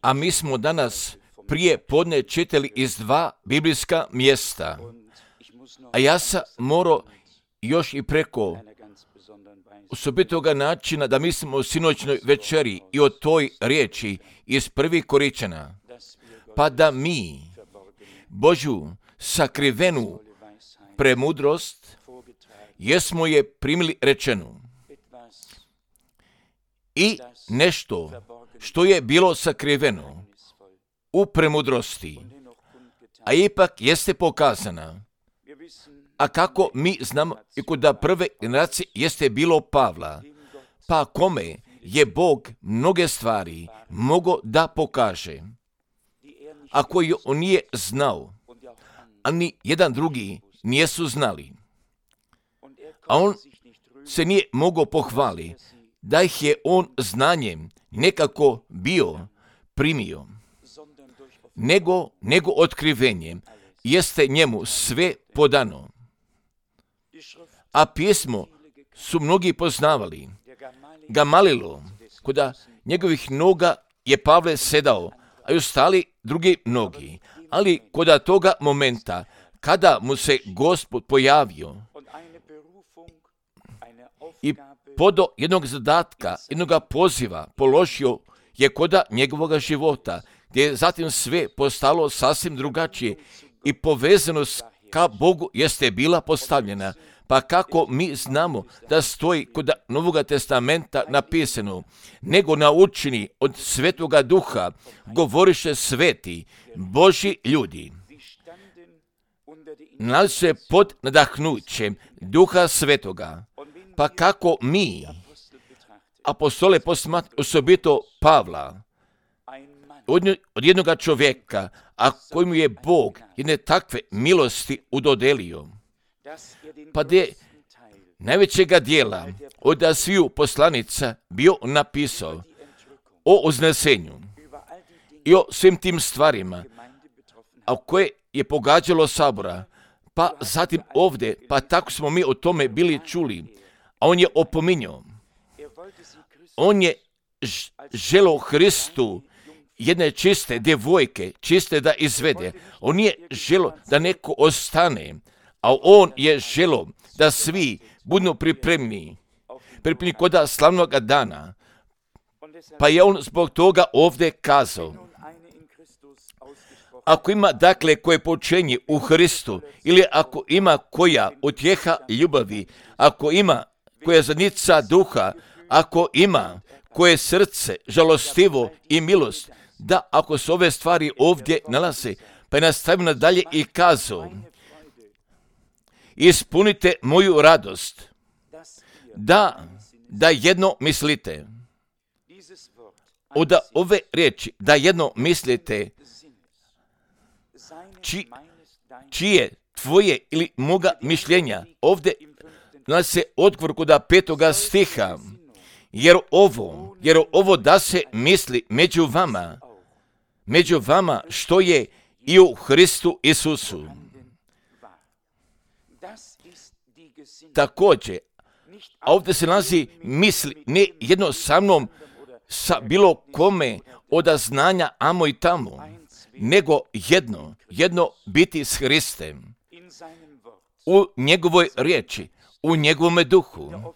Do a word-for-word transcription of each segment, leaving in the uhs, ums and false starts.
A mi smo danas prije podne čitali iz dva biblijska mjesta. A ja sam morao još i preko osobitoga načina da mislimo o sinoćnoj večeri i o toj riječi iz prvih Koričana, pa da mi Božju sakrivenu premudrost jesmo je primili rečenu i nešto što je bilo sakriveno u premudrosti, a ipak jeste pokazana. A kako mi znamo i kod prve generacije jeste bilo Pavla, pa kome je Bog mnoge stvari mogao da pokaže, a koji on nije znao, a ni jedan drugi nijesu znali. A on se nije mogao pohvali da ih je on znanjem nekako bio primio, nego, nego otkrivenjem jeste njemu sve podano. A pismo su mnogi poznavali. Gamalilo, koda njegovih noga je Pavle sedao, a i ostali drugi mnogi. Ali koda toga momenta, kada mu se Gospod pojavio i podo jednog zadatka, jednog poziva položio je koda njegovog života, gdje je zatim sve postalo sasvim drugačije i povezanost ka Bogu jeste bila postavljena. Pa kako mi znamo da stoji kod Novog testamenta napisano, nego naučeni od Svetoga Duha, govoriše sveti, Božji ljudi. Nalazi se pod nadahnućem Duha Svetoga. Pa kako mi, apostole posmat, osobito Pavla, od jednog čovjeka, a kojemu je Bog jedne takve milosti udodelio, pa da je najvećega dijela od sviju poslanica bio napisao o uznesenju i o svim tim stvarima, a koje je pogađalo sabora, pa zatim ovdje, pa tako smo mi o tome bili čuli, a on je opominjao. On je želeo Hristu jedne čiste djevojke, čiste da izvede. On nije želeo da neko ostane, a on je želeo da svi budu pripremni, pripremni koda slavnog dana. Pa je on zbog toga ovdje kazao, ako ima dakle koje počenje u Hristu, ili ako ima koja utjeha ljubavi, ako ima koja zadnica duha, ako ima koje srce žalostivo i milost, da ako se ove stvari ovdje nalaze, pa je nastavio nadalje i kazao, ispunite moju radost, da, da jedno mislite. Od ove riječi, da jedno mislite, či, čije tvoje ili moga mišljenja, ovdje nalazi se odgovor kod petoga stiha, jer ovo, jer ovo da se misli među vama, među vama što je i u Hristu Isusu. Također, a ovdje se nalazi misli ne jedno sa mnom, sa bilo kome od znanja amo i tamo, nego jedno, jedno biti s Hristem, u njegovoj riječi, u njegovome duhu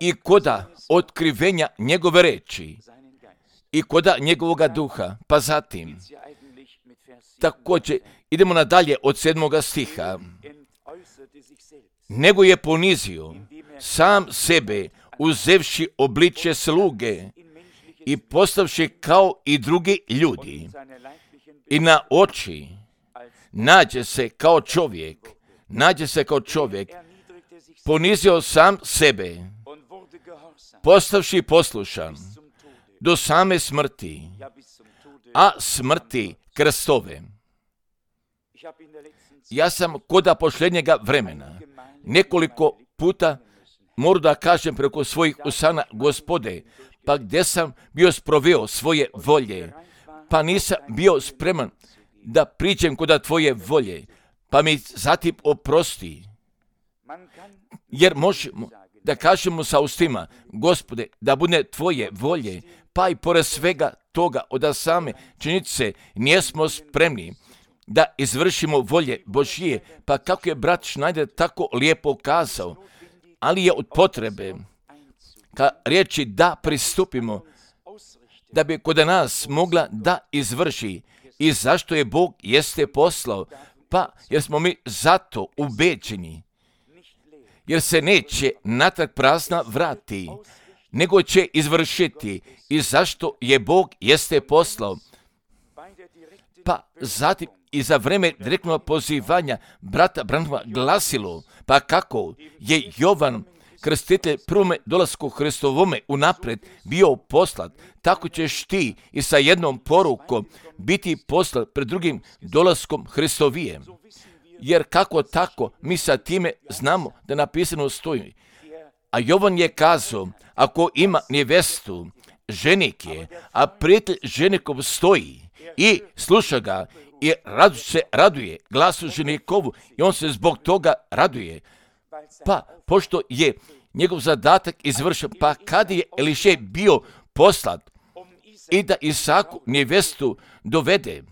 i koda otkrivenja njegove riječi i koda njegovoga duha. Pa zatim, također, idemo nadalje od sedmoga stiha. Nego je ponizio sam sebe, uzevši obličje sluge i postavši kao i drugi ljudi. I na oči nađe se kao čovjek, nađe se kao čovjek, ponizio sam sebe, postavši poslušan do same smrti, a smrti krstove. Ja sam koda posljednjega vremena nekoliko puta moram da kažem preko svojih usana, Gospode, pa gdje sam bio sproveo svoje volje, pa nisam bio spreman da priđem koda tvoje volje, pa mi zatim oprosti. Jer možemo da kažemo sa ustima, Gospode, da bude Tvoje volje, pa i pored svega toga od same činjenice nismo spremni da izvršimo volje Božije, pa kako je brat Schneider tako lijepo kazao, ali je od potrebe ka riječi da pristupimo, da bi kod nas mogla da izvrši. I zašto je Bog jeste poslao? Pa jer smo mi zato ubeđeni, jer se neće natrag prazna vrati, nego će izvršiti. I zašto je Bog jeste poslao? Pa zatim i za vreme direktnog pozivanja brata Branhama glasilo, pa kako je Jovan Krstitelj prvome dolasku Hristovome unaprijed bio poslat, tako ćeš ti i sa jednom porukom biti poslat pred drugim dolaskom Hristovijem. Jer kako tako, mi sa time znamo da napisano stoji. A Jovan je kazao, ako ima nevestu, ženik je, a prijatelj ženikom stoji i sluša ga i radu se raduje glasu ženikovu i on se zbog toga raduje. Pa, pošto je njegov zadatak izvršen, pa kad je Elišej bio poslat i da Isaku nevestu dovede,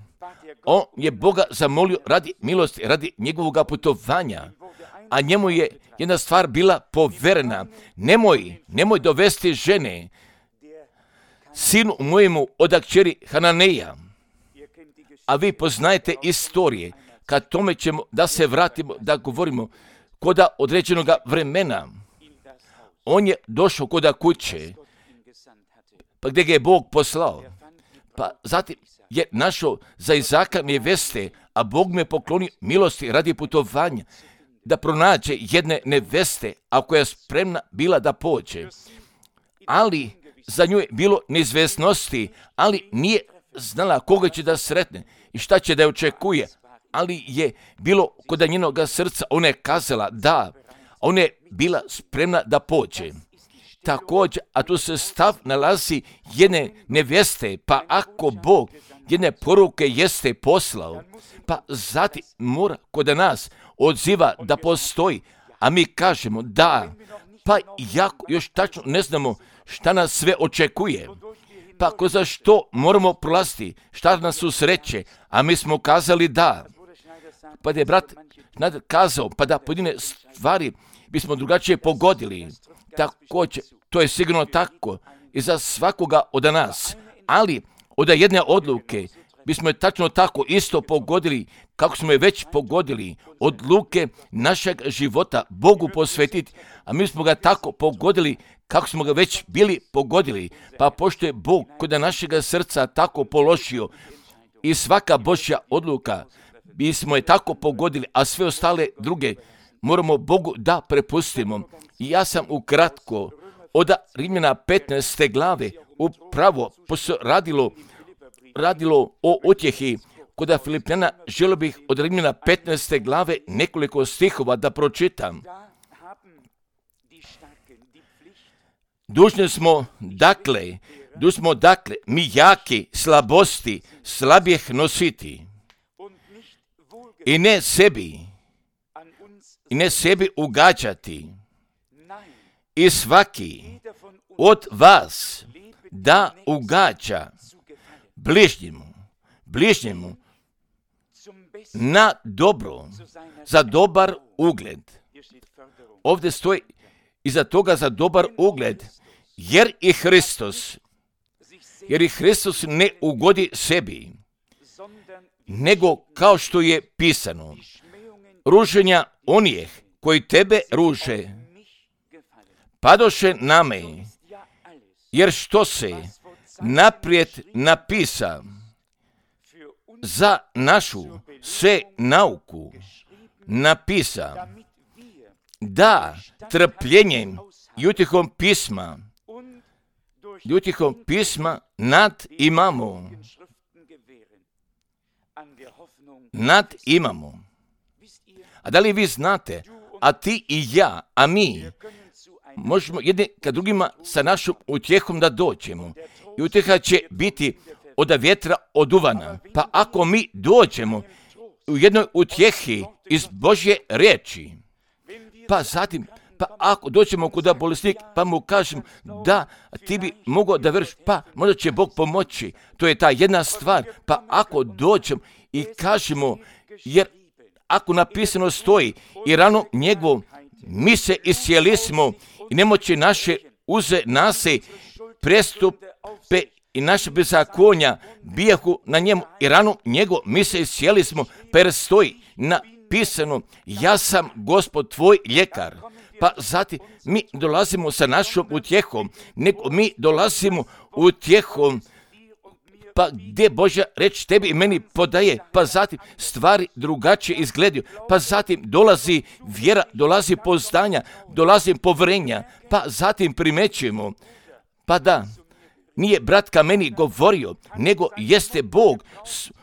on je Boga zamolio radi milosti, radi njegovog putovanja, a njemu je jedna stvar bila poverena. Nemoj, nemoj dovesti žene, sinu mojemu od kćeri Hananeja. A vi poznajete istorije, kad tome ćemo da se vratimo, da govorimo koda određenog vremena. On je došao koda kuće, pa gdje ga je Bog poslao. Pa zatim je našao za Izaka neveste, a Bog me poklonio milosti radi putovanja, da pronađe jedne neveste, a koja je spremna bila da pođe. Ali za nju je bilo neizvesnosti, ali nije znala koga će da sretne i šta će da je očekuje. Ali je bilo kod njenog srca, ona je kazala da, ona je bila spremna da pođe. Također, a tu se stav nalazi jedne neveste, pa ako Bog jedne poruke jeste poslao, pa zatim mora kod nas odziva da postoji, a mi kažemo da, pa jako još tačno ne znamo šta nas sve očekuje. Pa kroz što moramo prolaziti, šta nas susreće, a mi smo kazali da. Pa da je brat Schneider kazao, pa da pojedine stvari bismo drugačije pogodili. Također, to je sigurno tako i za svakoga od nas. Ali od jedne odluke bismo je tačno tako isto pogodili kako smo je već pogodili. Odluke našeg života Bogu posvetiti, a mi smo ga tako pogodili kako smo ga već bili pogodili. Pa pošto je Bog kod našega srca tako položio i svaka Božja odluka bismo je tako pogodili, a sve ostale druge moramo Bogu da prepustimo. I ja sam ukratko od Rimljana petnaeste glave upravo radilo, radilo o utjehi kod Filipljana, želio bih od Rimljana petnaeste glave nekoliko stihova da pročitam. Dužni smo, dakle, dužni smo, dakle, mi jaki slabosti slabijeh nositi i ne sebi, i ne sebi ugađati. I svaki od vas da ugađa bližnjemu, bližnjemu na dobro, za dobar ugled. Ovdje stoji iza toga za dobar ugled, jer i Hristos, jer i Hristos ne ugodi sebi, nego kao što je pisano, ruženja onih koji tebe ruže, padoše na me, jer što se naprijed napisa za našu se nauku napisa, da trpljenjem i utjehom pisma, i utjehom pisma nad imamo, nad imamo. A da li vi znate, a ti i ja, a mi, možemo jedni ka drugima sa našom utjehom da dođemo. I utjeha će biti od vjetra oduvana. Pa ako mi dođemo u jednoj utjehi iz Božje riječi, pa zatim Pa ako dođemo kuda bolesnik, pa mu kažem da ti bi mogao da veriš, pa možda će Bog pomoći. To je ta jedna stvar. Pa ako dođem i kažemo, jer ako napisano stoji i rano njegovom mi se iscijelismo i nemoći naše uze nase prestupe i naše bezakonja bijahu na njemu i rano njegov mi se iscijelismo, pa jer stoji napisano ja sam Gospod tvoj ljekar. Pa zatim mi dolazimo sa našom utjehom, nego mi dolazimo utjehom, pa gdje Božja reč tebi i meni podaje, pa zatim stvari drugačije izgledaju, pa zatim dolazi vjera, dolazi poznanja, dolazi povjerenja, pa zatim primećujemo, pa da, nije brat ka meni govorio, nego jeste Bog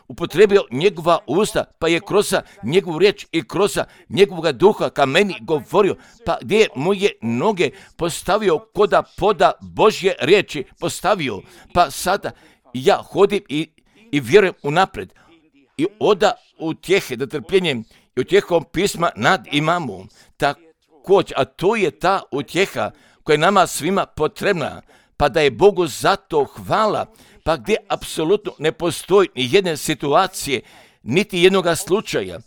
upotrebio njegova usta, pa je kroz njegovu riječ i kroz njegovog duha ka meni govorio, pa gdje je moje noge postavio koda poda Božje riječi postavio, pa sada ja hodim i, i vjerujem unaprijed i oda utjehe, da trpljenjem i utjehom pisma nad imamo. Također, a to je ta utjeha koja je nama svima potrebna, pa da je Bogu za to hvala, pa gdje apsolutno ne postoji ni jedne situacije, niti jednoga slučaja,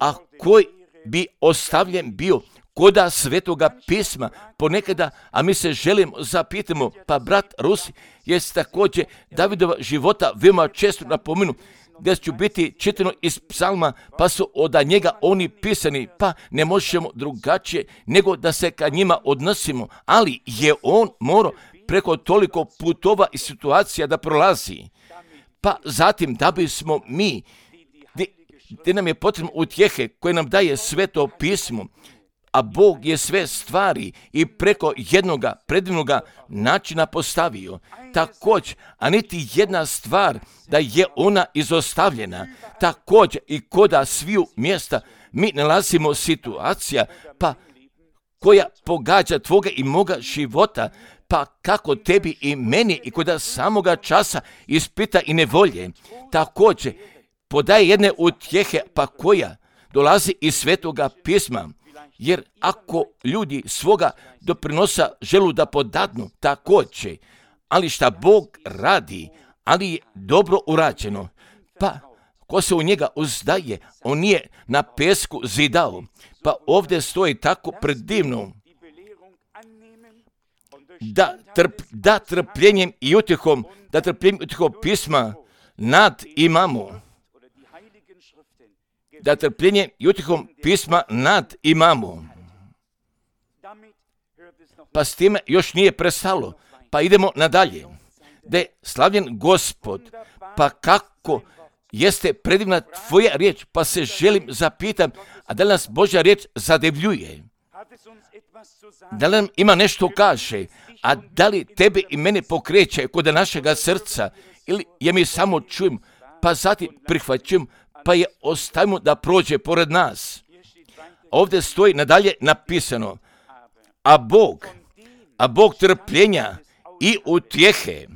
a koji bi ostavljen bio koda svetoga pisma ponekada, a mi se želimo zapitamo, pa brat Rusi je također Davidova života veoma često napomenu, gdje ću biti čitano iz psalma, pa su od njega oni pisani, pa ne možemo drugačije nego da se ka njima odnosimo, ali je on morao preko toliko putova i situacija da prolazi. Pa zatim da bismo mi, gdje nam je potrebno utjehe koje nam daje sveto pismo, a Bog je sve stvari i preko jednoga predivnoga načina postavio. Također, a niti jedna stvar da je ona izostavljena. Također i koda sviju mjesta mi nalazimo situacija pa koja pogađa tvoga i moga života, pa kako tebi i meni i koda samoga časa ispita i nevolje. Također, podaje jedne utjehe pa koja dolazi iz svetoga pisma. Jer ako ljudi svoga doprinosa želu da podadnu, također, ali šta Bog radi, ali je dobro urađeno, pa ko se u njega uzdaje, on nije na pesku zidao, pa ovdje stoji tako predivno, da, trp, da trpljenjem i utjehom, da trpljenjem i utjehom pisma nad imamo, da trpljenjem i utjehom pisma nad imamo. Pa s time još nije prestalo, pa idemo nadalje. Da je slavljen Gospod, pa kako jeste predivna tvoja riječ, pa se želim zapitam, a da li nas Božja riječ zadivljuje? Da li nam ima nešto kaže, a da li tebe i mene pokreće kod našega srca, ili je mi samo čujem, pa zatim prihvaćujem, pa je ostavimo da prođe pored nas. Ovdje stoji nadalje napisano, a Bog, a Bog trpljenja i utjehe,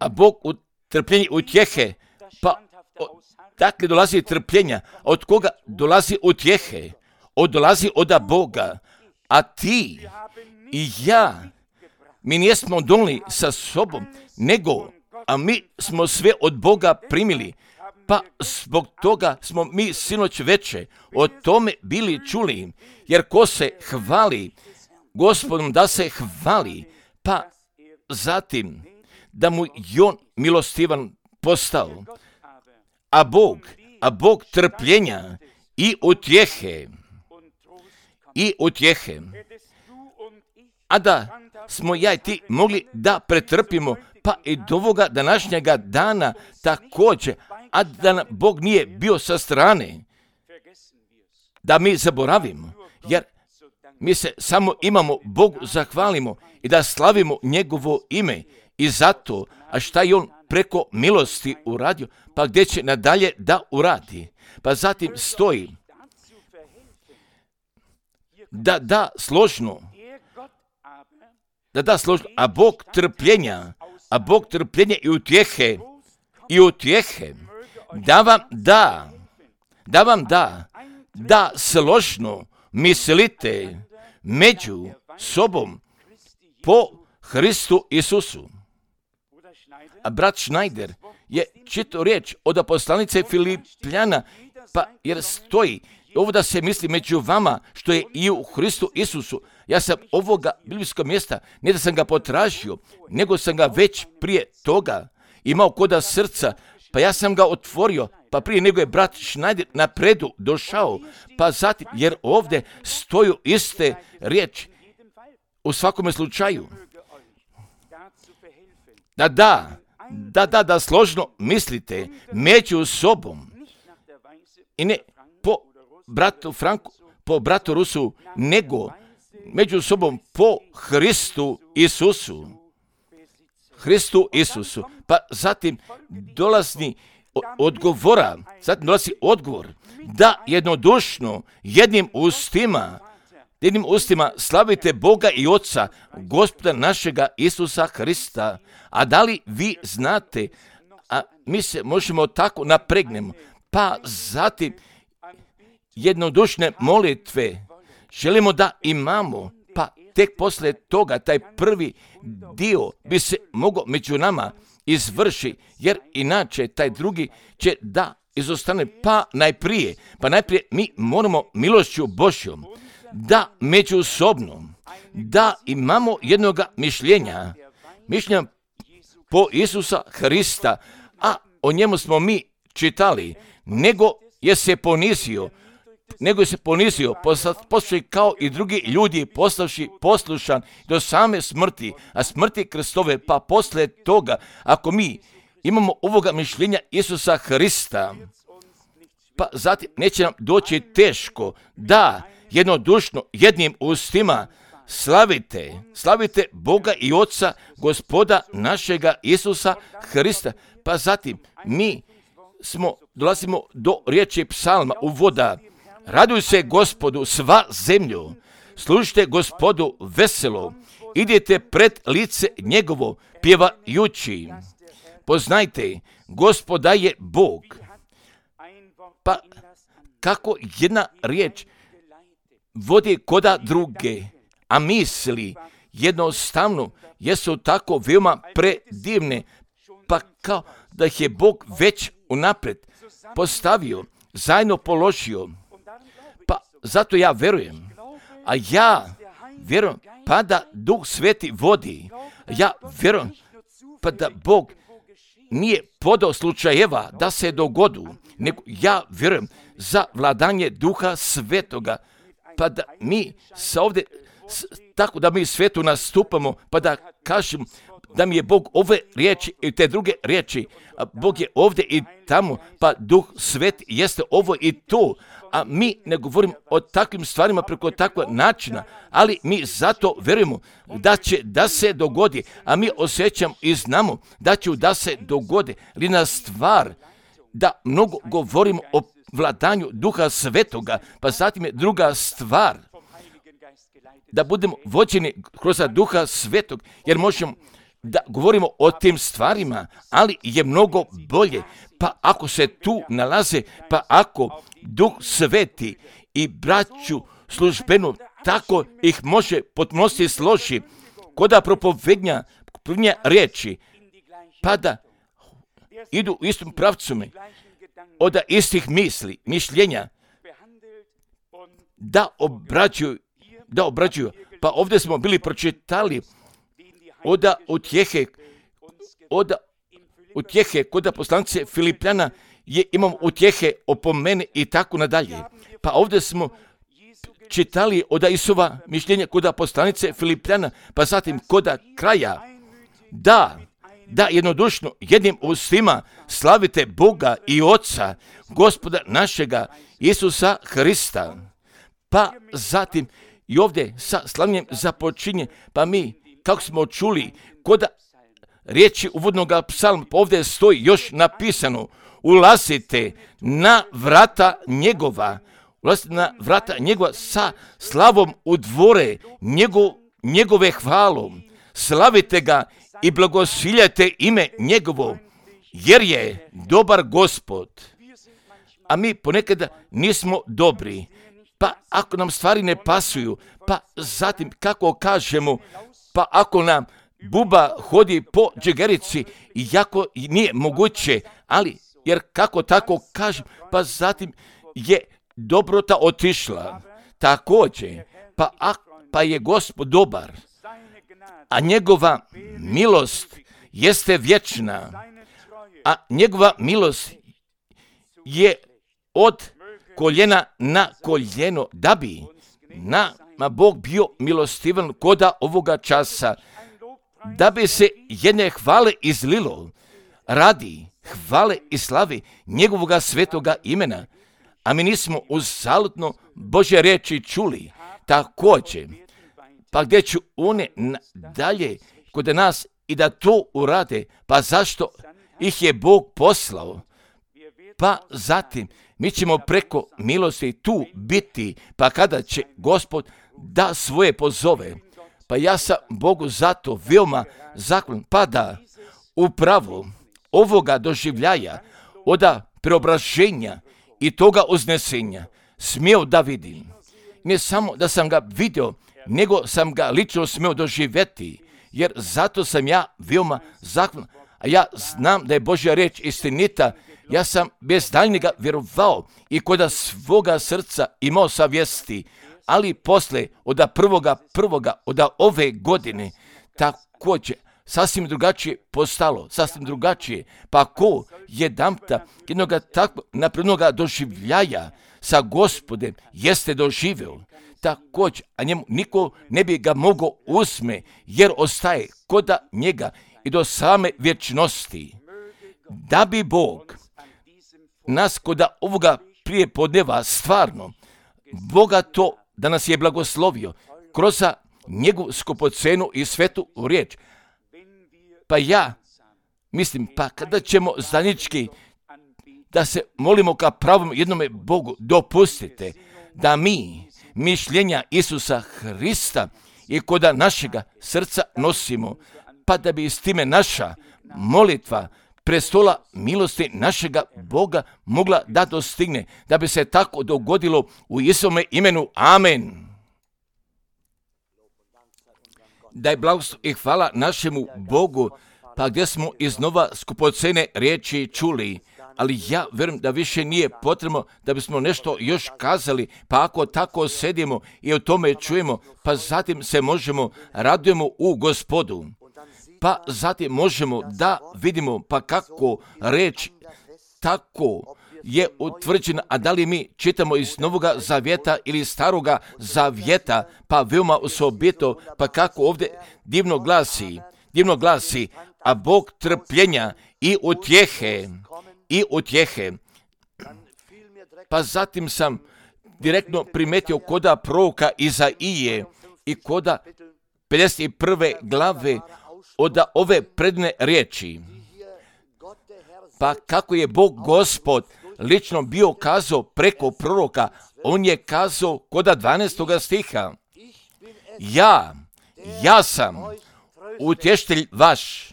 a Bog u trpljenja i utjehe, pa dakle dolazi trpljenja, od koga dolazi utjehe, od dolazi od Boga, a ti i ja, mi nismo donijeli sa sobom, nego a mi smo sve od Boga primili, pa zbog toga smo mi sinoć veče o tome bili čuli, jer ko se hvali Gospodom da se hvali, pa zatim da mu je on milostivan postao, a Bog, a Bog trpljenja i utjehe, i utjehe, a da smo ja i ti mogli da pretrpimo, pa i do ovoga današnjega dana također, a da nam Bog nije bio sa strane, da mi zaboravimo, jer mi se samo imamo Bogu zahvalimo i da slavimo njegovo ime i zato, a šta je on preko milosti uradio, pa gdje će nadalje da uradi. Pa zatim stoji da da složno, da da složno, a Bog trpljenja, a Bog trpljenja i utjehe, i utjehe, da vam da, da vam da, da složno mislite među sobom po Hristu Isusu. A brat Schneider je čitao riječ od poslanice Filipljana, pa jer stoji ovo da se misli među vama što je i u Hristu Isusu. Ja sam ovoga biblijskog mjesta, ne da sam ga potražio, nego sam ga već prije toga imao koda srca, pa ja sam ga otvorio, pa prije nego je brat Schneider napredu došao, pa zatim, jer ovdje stoju iste riječi u svakome slučaju. Da, da, da, da, da složno mislite među sobom i ne po bratu Franku, po bratu Rusu, nego među sobom po Hristu Isusu. Hristu Isusu. Pa zatim dolazi odgovora, zatim dolazi odgovor da jednodušno jednim ustima, jednim ustima slavite Boga i Oca, Gospoda našega Isusa Hrista. A da li vi znate, a mi se možemo tako napregnemo, pa zatim jednodušne molitve želimo da imamo, pa tek poslije toga taj prvi dio bi se mogao među nama izvrši, jer inače taj drugi će da izostane. Pa najprije, pa najprije mi moramo milošću Božjom da međusobno, da imamo jednoga mišljenja, mišljenja po Isusa Hrista, a o njemu smo mi čitali, nego je se ponizio, nego je se ponizio, poslušaj kao i drugi ljudi, postavši poslušan do same smrti, a smrti krstove, pa poslije toga, ako mi imamo ovoga mišljenja Isusa Hrista, pa zatim neće nam doći teško da jednodušno jednim ustima slavite, slavite Boga i Oca, Gospoda našega Isusa Hrista. Pa zatim mi smo, dolazimo do riječi psalma uvoda. Raduj se Gospodu sva zemlju, služite Gospodu veselo, idite pred lice njegovo pjevajući. Poznajte, Gospoda je Bog. Pa kako jedna riječ vodi koda druge, a misli jednostavno jesu tako veoma predivne, pa kao da ih je Bog već unaprijed postavio, zajedno položio. Pa zato ja verujem, a ja vjerujem pa da Duh Sveti vodi, ja vjerujem pa da Bog nije podao slučajeva da se dogodu, nego ja vjerujem za vladanje Duha Svetoga, pa da mi sa ovdje, tako da mi svetu nastupamo, pa da kažem da mi je Bog ove riječi i te druge riječi, a Bog je ovdje i tamo, pa Duh Sveti jeste ovo i to, a mi ne govorimo o takvim stvarima preko takvog načina, ali mi zato vjerujemo da će da se dogodi, a mi osjećamo i znamo da će da se dogodi. Lina stvar da mnogo govorimo o vladanju Duha Svetoga, pa zatim je druga stvar da budemo vođeni kroz Duha Svetog, jer možemo da govorimo o tim stvarima, ali je mnogo bolje, pa ako se tu nalaze, pa ako Duh Sveti i braću službenu tako ih može potpunosti složi, koda propovednja prvnja riječi, pa da idu u istom pravcu me, od istih misli, mišljenja, da obrađuju, da obrađuju. Pa ovdje smo bili pročitali oda utjehe, oda utjehe, koda poslanice Filipljana je imam utjehe o mene i tako nadalje. Pa ovdje smo čitali oda Isova mišljenja koda poslanice Filipljana, pa zatim koda kraja, da, da jednodušno jednim ustima slavite Boga i Oca, Gospoda našega Isusa Hrista. Pa zatim i ovdje sa slavljenjem započinje, pa mi, kako smo čuli, koda riječi uvodnog psalma, pa ovdje stoji još napisano, ulazite na vrata njegova, ulazite na vrata njegova sa slavom u dvore njegov, njegove hvalom, slavite ga i blagosiljajte ime njegovo, jer je dobar Gospod. a mi ponekada nismo dobri. Pa ako nam stvari ne pasuju, pa zatim kako kažemo, pa ako nam buba hodi po džegerici, iako nije moguće, ali jer kako tako kažem, pa zatim je dobrota otišla. Također, pa, a, pa je Gospod dobar, a njegova milost jeste vječna, a njegova milost je od koljena na koljeno, da bi nama Bog bio milostivan koda ovoga časa, da bi se jedne hvale izlilo radi hvale i slavi njegovoga svetoga imena, a mi nismo uzaludno Božje riječi čuli. Također, pa gdje ću one dalje kod nas i da to urade, pa zašto ih je Bog poslao? Pa zatim mi ćemo preko milosti tu biti, pa kada će Gospod da svoje pozove. Pa ja sam Bogu zato veoma zahvalan, pa da upravo ovoga doživljaja, oda preobraženja i toga uznesenja smio da vidim. Ne samo da sam ga vidio, nego sam ga lično smio doživjeti, jer zato sam ja veoma zahvalan. A ja znam da je Božja riječ istinita. Ja sam bez daljnjega vjerovao i koda svoga srca imao savjesti, ali posle oda prvoga prvoga, oda ove godine, također sasvim drugačije postalo, sasvim drugačije. Pa ko jedanputa jednoga takvog naprednoga doživljaja sa Gospodem jeste doživio, također, a njemu niko ne bi ga mogao uzme, jer ostaje koda njega i do same vječnosti. Da bi Bog nas koda ovoga prije podneva stvarno bogato da nas je blagoslovio kroz njegovu skupocenu i svetu riječ. Pa ja mislim, pa kada ćemo zajednički da se molimo ka pravom jednome Bogu, dopustite da mi mišljenja Isusa Hrista i koda našega srca nosimo, pa da bi s time naša molitva prestola milosti našega Boga mogla da dostigne, da bi se tako dogodilo u Isome imenu. Amen. Da je blagoslov i hvala našemu Bogu, pa gdje smo iznova skupocene riječi čuli, ali ja vjerujem da više nije potrebno da bismo nešto još kazali, pa ako tako sedimo i o tome čujemo, pa zatim se možemo radujemo u Gospodu. Pa zatim možemo da vidimo pa kako reč tako je utvrđena, a da li mi čitamo iz Novoga Zavjeta ili Staroga Zavjeta, pa veoma osobito, pa kako ovdje divno glasi, divno glasi, a Bog trpljenja i utjehe, i utjehe. Pa zatim sam direktno primetio koda proroka Izaije i koda pedeset prve glave od ove predne riječi. Pa kako je Bog Gospod lično bio kazao preko proroka, on je kazao koda dvanaestoga stiha. Ja, ja sam utještelj vaš.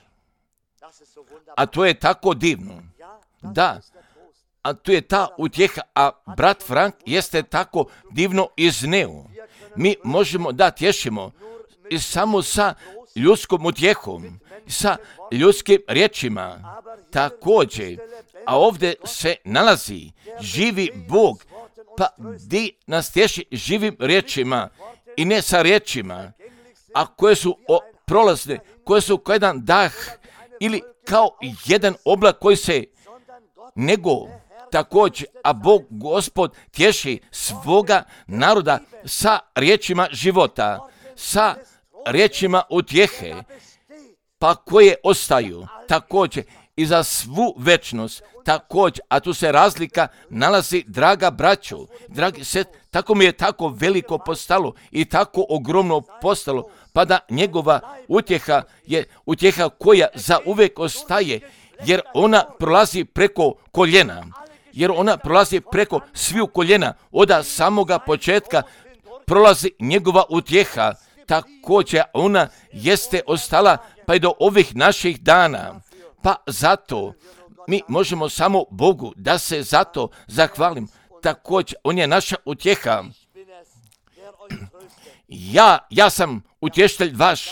A to je tako divno. Da, a to je ta utjeha, a brat Frank jeste tako divno izneo. Mi možemo da tješimo i samo sa ljudskom utjehom, sa ljudskim riječima, također, a ovdje se nalazi živi Bog, pa di nas tješi živim riječima i ne sa riječima, a koje su o, prolazne, koje su kao jedan dah ili kao jedan oblak koji se nego također, a Bog Gospod tješi svoga naroda sa riječima života, sa riječima utjehe, pa koje ostaju također i za svu večnost, također, a tu se razlika nalazi, draga braćo, dragi set, tako mi je tako veliko postalo i tako ogromno postalo, pa da njegova utjeha je utjeha koja za uvijek ostaje, jer ona prolazi preko koljena, jer ona prolazi preko sviju koljena, od samoga početka prolazi njegova utjeha, također ona jeste ostala pa i do ovih naših dana. Pa zato mi možemo samo Bogu da se zato zahvalim. Također, On je naša utjeha. Ja, ja sam utješitelj vaš.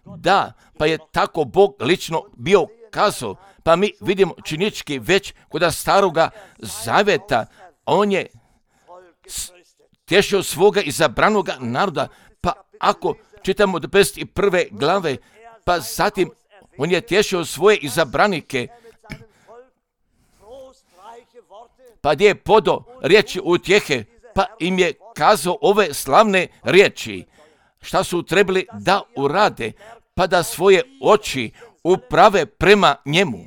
Da, pa je tako Bog lično bio kazao. Pa mi vidimo činički već kod staroga zaveta. On je tješio svoga izabranoga naroda. Pa ako čitamo do pedeset prve glave, pa zatim On je tješio svoje izabranike. Pa gdje je podo riječi utjehe, pa im je kazao ove slavne riječi. Šta su trebali da urade, pa da svoje oči uprave prema njemu.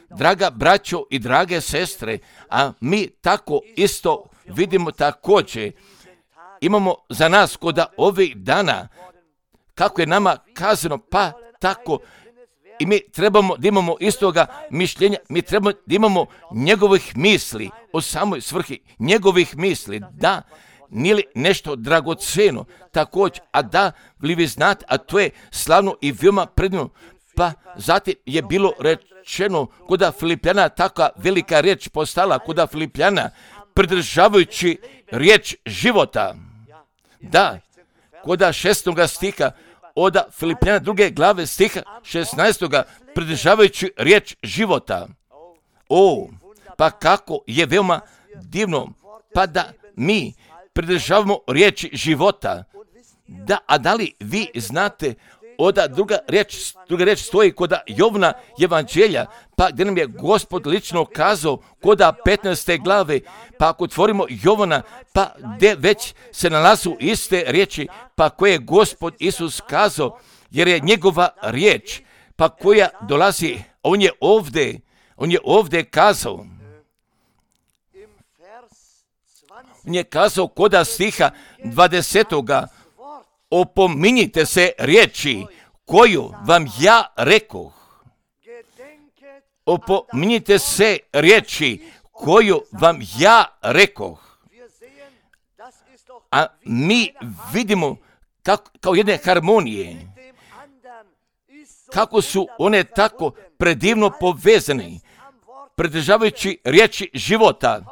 Draga braćo i drage sestre, a mi tako isto vidimo također. Imamo za nas kod ovih dana, kako je nama kazano, pa tako i mi trebamo da imamo istoga mišljenja, mi trebamo da imamo njegovih misli o samoj svrhi, njegovih misli, da, nije li nešto dragoceno, također, a da, li vi znate, a to je slavno i veoma predivno, pa zatim je bilo rečeno kod Filipljana, takva velika riječ postala kod Filipljana, pridržavajući riječ života. Da, kod šestog stiha, od Filipljana druge glave stiha šesnaestoga pridržavajući riječ života. O, pa kako je veoma divno, pa da mi pridržavamo riječi života. Da, a da li vi znate, od druga riječ, druga riječ stoji kod Jovna evanđelja, pa gdje nam je Gospod lično kazao kod petnaeste glave, pa ako otvorimo Jovana, pa gdje već se nalazu iste riječi, pa koje je Gospod Isus kazao, jer je njegova riječ, pa koja dolazi, on je ovdje, on je ovdje kazao. On je kazao kod stiha dvadesetoga, opominjite se riječi koju vam ja rekoh. Opominjite se riječi koju vam ja rekoh. A mi vidimo kako, kao jedne harmonije, kako su one tako predivno povezane, pridržavajući riječi života.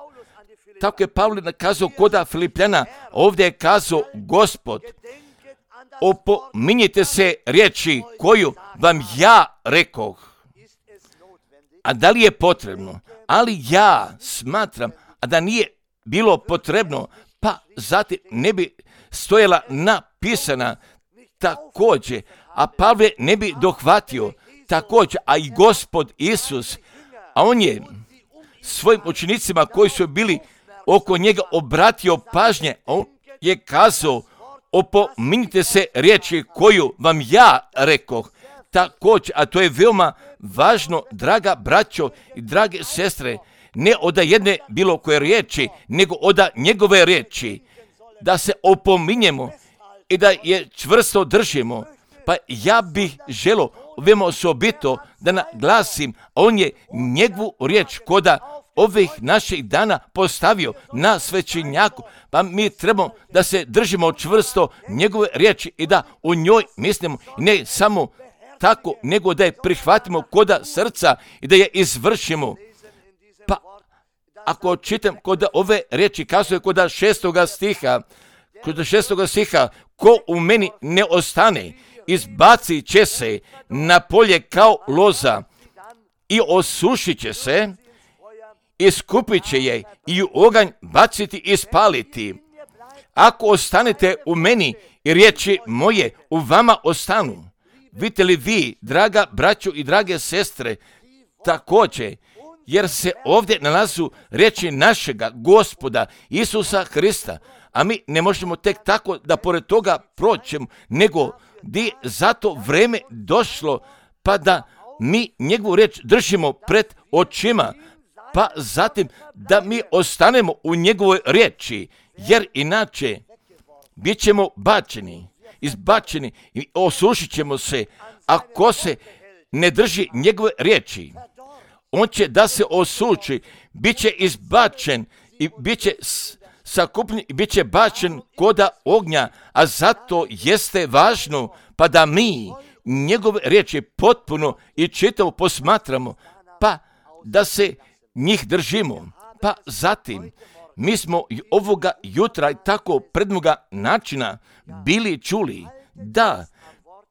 Tako je Pavle nakazao kod Filipljana, ovdje je kazao Gospod, opominjite se riječi koju vam ja rekoh. A da li je potrebno? Ali ja smatram, a da nije bilo potrebno, pa zatim ne bi stojala napisana također, a Pavle ne bi dohvatio također, a i Gospod Isus, a on je svojim učenicima koji su bili oko njega obratio pažnje, on je kazao, opominjite se riječi koju vam ja rekoh. Također, a to je veoma važno, draga braćo i drage sestre, ne od jedne bilo koje riječi, nego od njegove riječi, da se opominjemo i da je čvrsto držimo. Pa ja bih želio veoma osobito da naglasim, on je njegovu riječ koda ovih naših dana postavio na svećenjaku, pa mi trebamo da se držimo čvrsto njegove riječi i da u njoj mislimo, ne samo tako, nego da je prihvatimo koda srca i da je izvršimo. Pa ako čitam kod ove riječi, kazuje kod šestoga stiha, kod šestoga stiha, ko u meni ne ostane, izbacit će se na polje kao loza i osušit će se, iskupit će je i u oganj baciti i spaliti. Ako ostanete u meni i riječi moje u vama ostanu, vidite li vi, draga braćo i drage sestre, također, jer se ovdje nalazu riječi našega Gospoda Isusa Hrista, a mi ne možemo tek tako da pored toga proćemo, nego di zato vreme došlo, pa da mi njegovu riječ držimo pred očima, pa zatim da mi ostanemo u njegovoj riječi, jer inače bit ćemo bačeni, izbačeni i osušit ćemo se, ako se ne drži njegove riječi. On će da se osuči, bit će izbačen i bit će sakupljen i bit će bačen koda ognja, a zato jeste važno pa da mi njegove riječi potpuno i čitavo posmatramo, pa da se njih držimo. Pa zatim, mi smo i ovoga jutra i tako predmoga načina bili čuli da,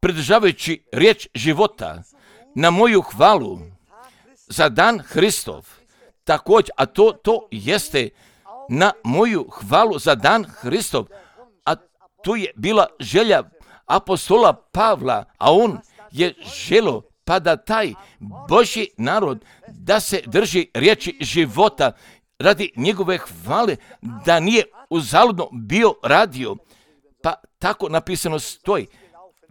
pridržavajući riječ života na moju hvalu za dan Hristov, također, a to, to jeste na moju hvalu za dan Hristov, a tu je bila želja apostola Pavla, a on je želo pa da taj Božji narod da se drži riječi života radi njegove hvale, da nije uzaludno bio radio, pa tako napisano stoji,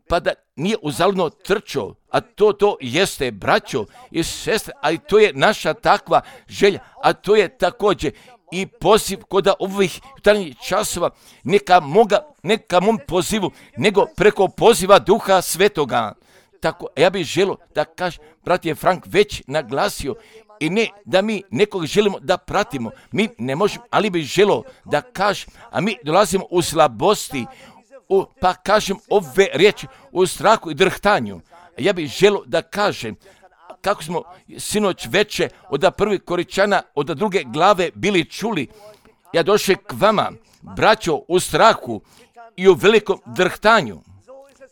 pa da nije uzaludno trčao, a to to jeste, braćo i sestre, a i to je naša takva želja, a to je također i poziv kod ovih jutarnjih časova, neka moga, neka mom pozivu, nego preko poziva Duha Svetoga. Tako, ja bih želio da kaže, brat je Frank već naglasio, i ne da mi nekog želimo da pratimo, mi ne možemo, ali bih želio da kaže, a mi dolazimo u slabosti, u, pa kažem ove riječi, u strahu i drhtanju. Ja bih želio da kažem, kako smo sinoć veče od prvih Koričana, od druge glave bili čuli, ja došao k vama, braćo, u strahu i u velikom drhtanju.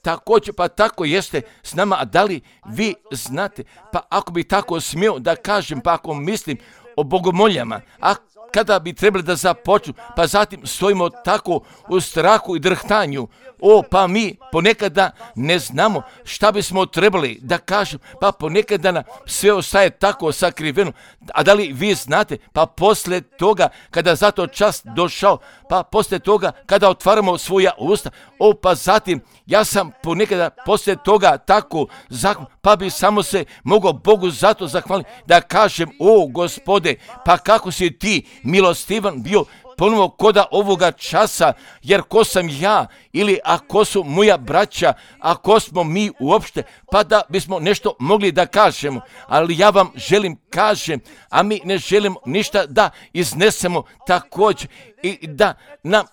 Također, pa tako jeste s nama, a da li vi znate, pa ako bi tako smio da kažem, pa ako mislim o bogomoljama, a kada bi trebali da započnu, pa zatim stojimo tako u strahu i drhtanju, o, pa mi ponekada ne znamo šta bismo trebali da kažemo, pa ponekada nam sve ostaje tako sakriveno, a da li vi znate, pa posle toga, kada za to čas došao, pa posle toga, kada otvaramo svoja usta, o, pa zatim, ja sam ponekada posle toga tako zahvalan, pa bi samo se mogao Bogu zato zahvaliti, da kažem, o, Gospode, pa kako si ti milostivan bio ponovo koda ovoga časa, jer ko sam ja, ili a ko su moja braća, a ko smo mi uopšte, pa da bismo nešto mogli da kažemo, ali ja vam želim kažem, a mi ne želimo ništa da iznesemo također, i da nam,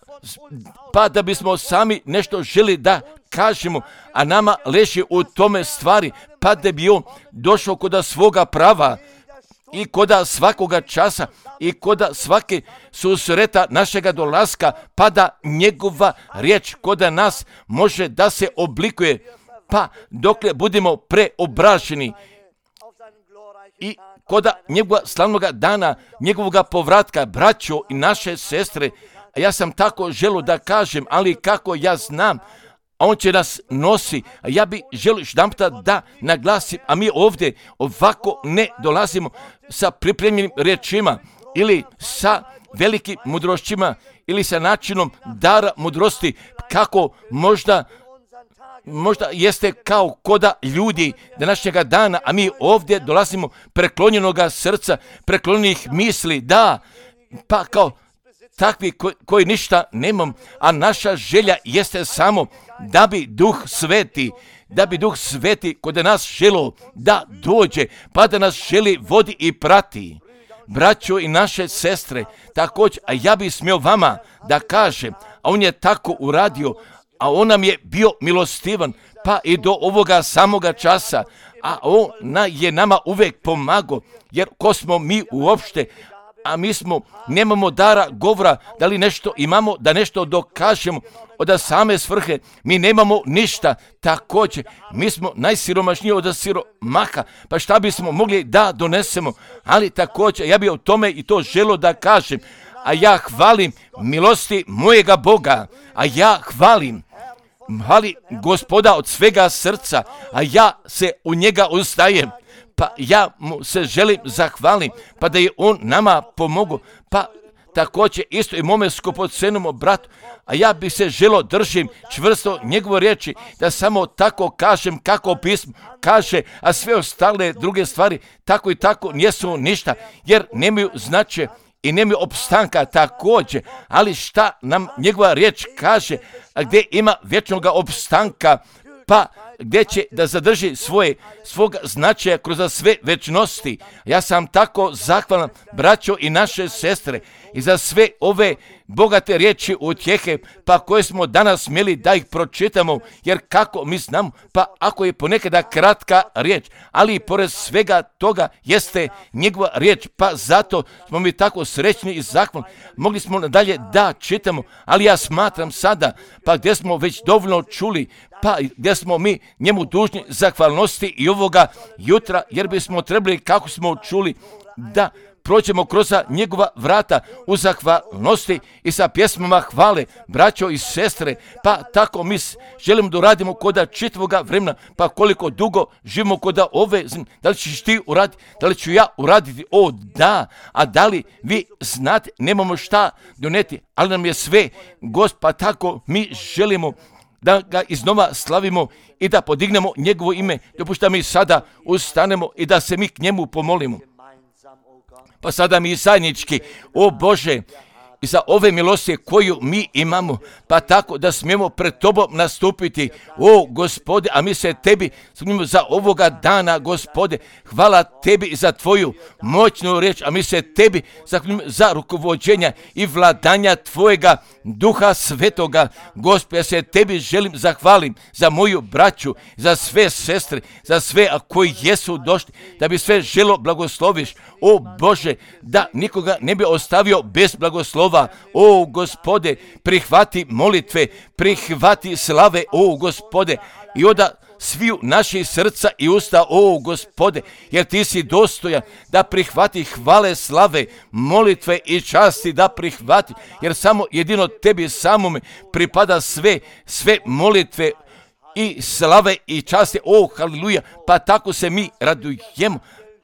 pa da bismo sami nešto želi da kažemo, a nama leži u tome stvari, pa da bi on došao koda svoga prava, i koda svakoga časa, i koda svake susreta našega dolaska, pa da njegova riječ koda nas može da se oblikuje, pa dokle budemo preobraženi i koda njegova slavnoga dana, njegovoga povratka, braćo i naše sestre, a ja sam tako želio da kažem, ali kako ja znam, on će nas nosi, a ja bih želio jedanputa da naglasim, a mi ovdje ovako ne dolazimo sa pripremljenim riječima ili sa velikim mudrošćima ili sa načinom dara mudrosti, kako možda možda jeste kao koda ljudi današnjega dana, a mi ovdje dolazimo preklonjenoga srca, preklonjenih misli, da, pa kao takvi koji, koji ništa nemam, a naša želja jeste samo da bi Duh Sveti, da bi Duh Sveti kod nas želo da dođe, pa da nas želi vodi i prati. Braćo i naše sestre, također, a ja bih smio vama da kažem, a on je tako uradio, a on nam je bio milostivan, pa i do ovoga samoga časa, a on je nama uvek pomagao, jer ko smo mi uopšte, a mi smo, nemamo dara govora, da li nešto imamo, da nešto dokažemo od same svrhe, mi nemamo ništa, također, mi smo najsiromašniji od siromaha, pa šta bismo mogli da donesemo, ali također, ja bih o tome i to želio da kažem, a ja hvalim milosti mojega Boga, a ja hvalim, hvali Gospoda od svega srca, a ja se u njega ustajem, pa ja mu se želim zahvalim, pa da je on nama pomogao, pa također isto i mome skupocenom bratu, a ja bi se želo držim čvrsto njegovo riječi, da samo tako kažem kako pismo kaže, a sve ostale druge stvari tako i tako nisu ništa, jer nemaju značaja i nemaju opstanka također, ali šta nam njegova riječ kaže, a gdje ima vječnog opstanka, pa gdje će da zadrži svoje, svog značaja kroz sve večnosti. Ja sam tako zahvalan, braćo i naše sestre, i za sve ove bogate riječi utjehe, pa koje smo danas smjeli da ih pročitamo, jer kako mi znamo, pa ako je ponekada kratka riječ, ali i pored svega toga jeste njegova riječ, pa zato smo mi tako srećni i zahvalni. Mogli smo nadalje da čitamo, ali ja smatram sada, pa gdje smo već dovoljno čuli, pa gdje smo mi njemu dužni zahvalnosti i ovoga jutra, jer bismo trebali, kako smo čuli, da prođemo kroz njegova vrata u zahvalnosti i sa pjesmama hvale, braćo i sestre, pa tako mi želimo da uradimo koda čitavoga vremena, pa koliko dugo živimo koda ove, da li ćeš ti uraditi, da li ću ja uraditi, o da, a da li vi znate, nemamo šta doneti, ali nam je sve, Gospod, pa tako mi želimo da ga iznova slavimo i da podignemo njegovo ime. Dopušta mi sada ustanemo i da se mi k njemu pomolimo. Pa sada mi zajednički, o Bože, i za ove milosti koju mi imamo, pa tako da smijemo pred Tobom nastupiti, o Gospode, a mi se Tebi smijemo za ovoga dana, Gospode, hvala Tebi i za Tvoju moćnu riječ, a mi se Tebi zahvaljujemo za rukovođenja i vladanja Tvojega Duha Svetoga. Gospode, ja se Tebi želim zahvalim za moju braću, za sve sestre, za sve koji jesu došli, da bi sve želo blagosloviš, o Bože, da nikoga ne bi ostavio bez blagoslova. O Gospode, prihvati molitve, prihvati slave, o Gospode, i oda sviju naših srca i usta, o Gospode, jer Ti si dostojan da prihvati hvale, slave, molitve i časti, da prihvati, jer samo jedino Tebi samome pripada sve, sve molitve i slave i časti, o haleluja, pa tako se mi radujemo,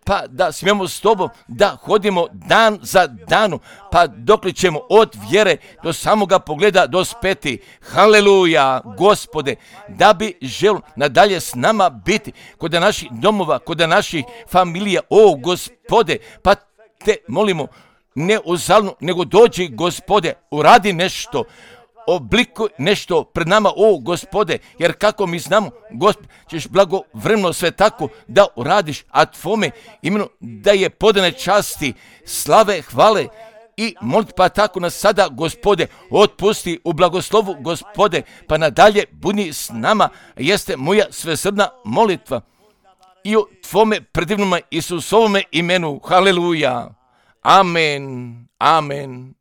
pa da smijemo s Tobom da hodimo dan za danom, pa dokle ćemo od vjere do samoga pogleda dospeti. Haleluja, Gospode, da bi žel nadalje s nama biti kod naših domova, kod naših familija, o Gospode, pa Te molimo, ne uzalno, nego dođi, Gospode, uradi nešto, oblikuj nešto pred nama, o Gospode, jer kako mi znamo, Gospod, ćeš blagovremeno sve tako da uradiš, a Tvome imenu da je podane časti, slave, hvale i molit, pa tako nas sada, Gospode, otpusti u blagoslovu, Gospode, pa nadalje budi s nama, jeste moja svesrdna molitva i u Tvome predivnome Isusovome imenu. Haleluja. Amen. Amen.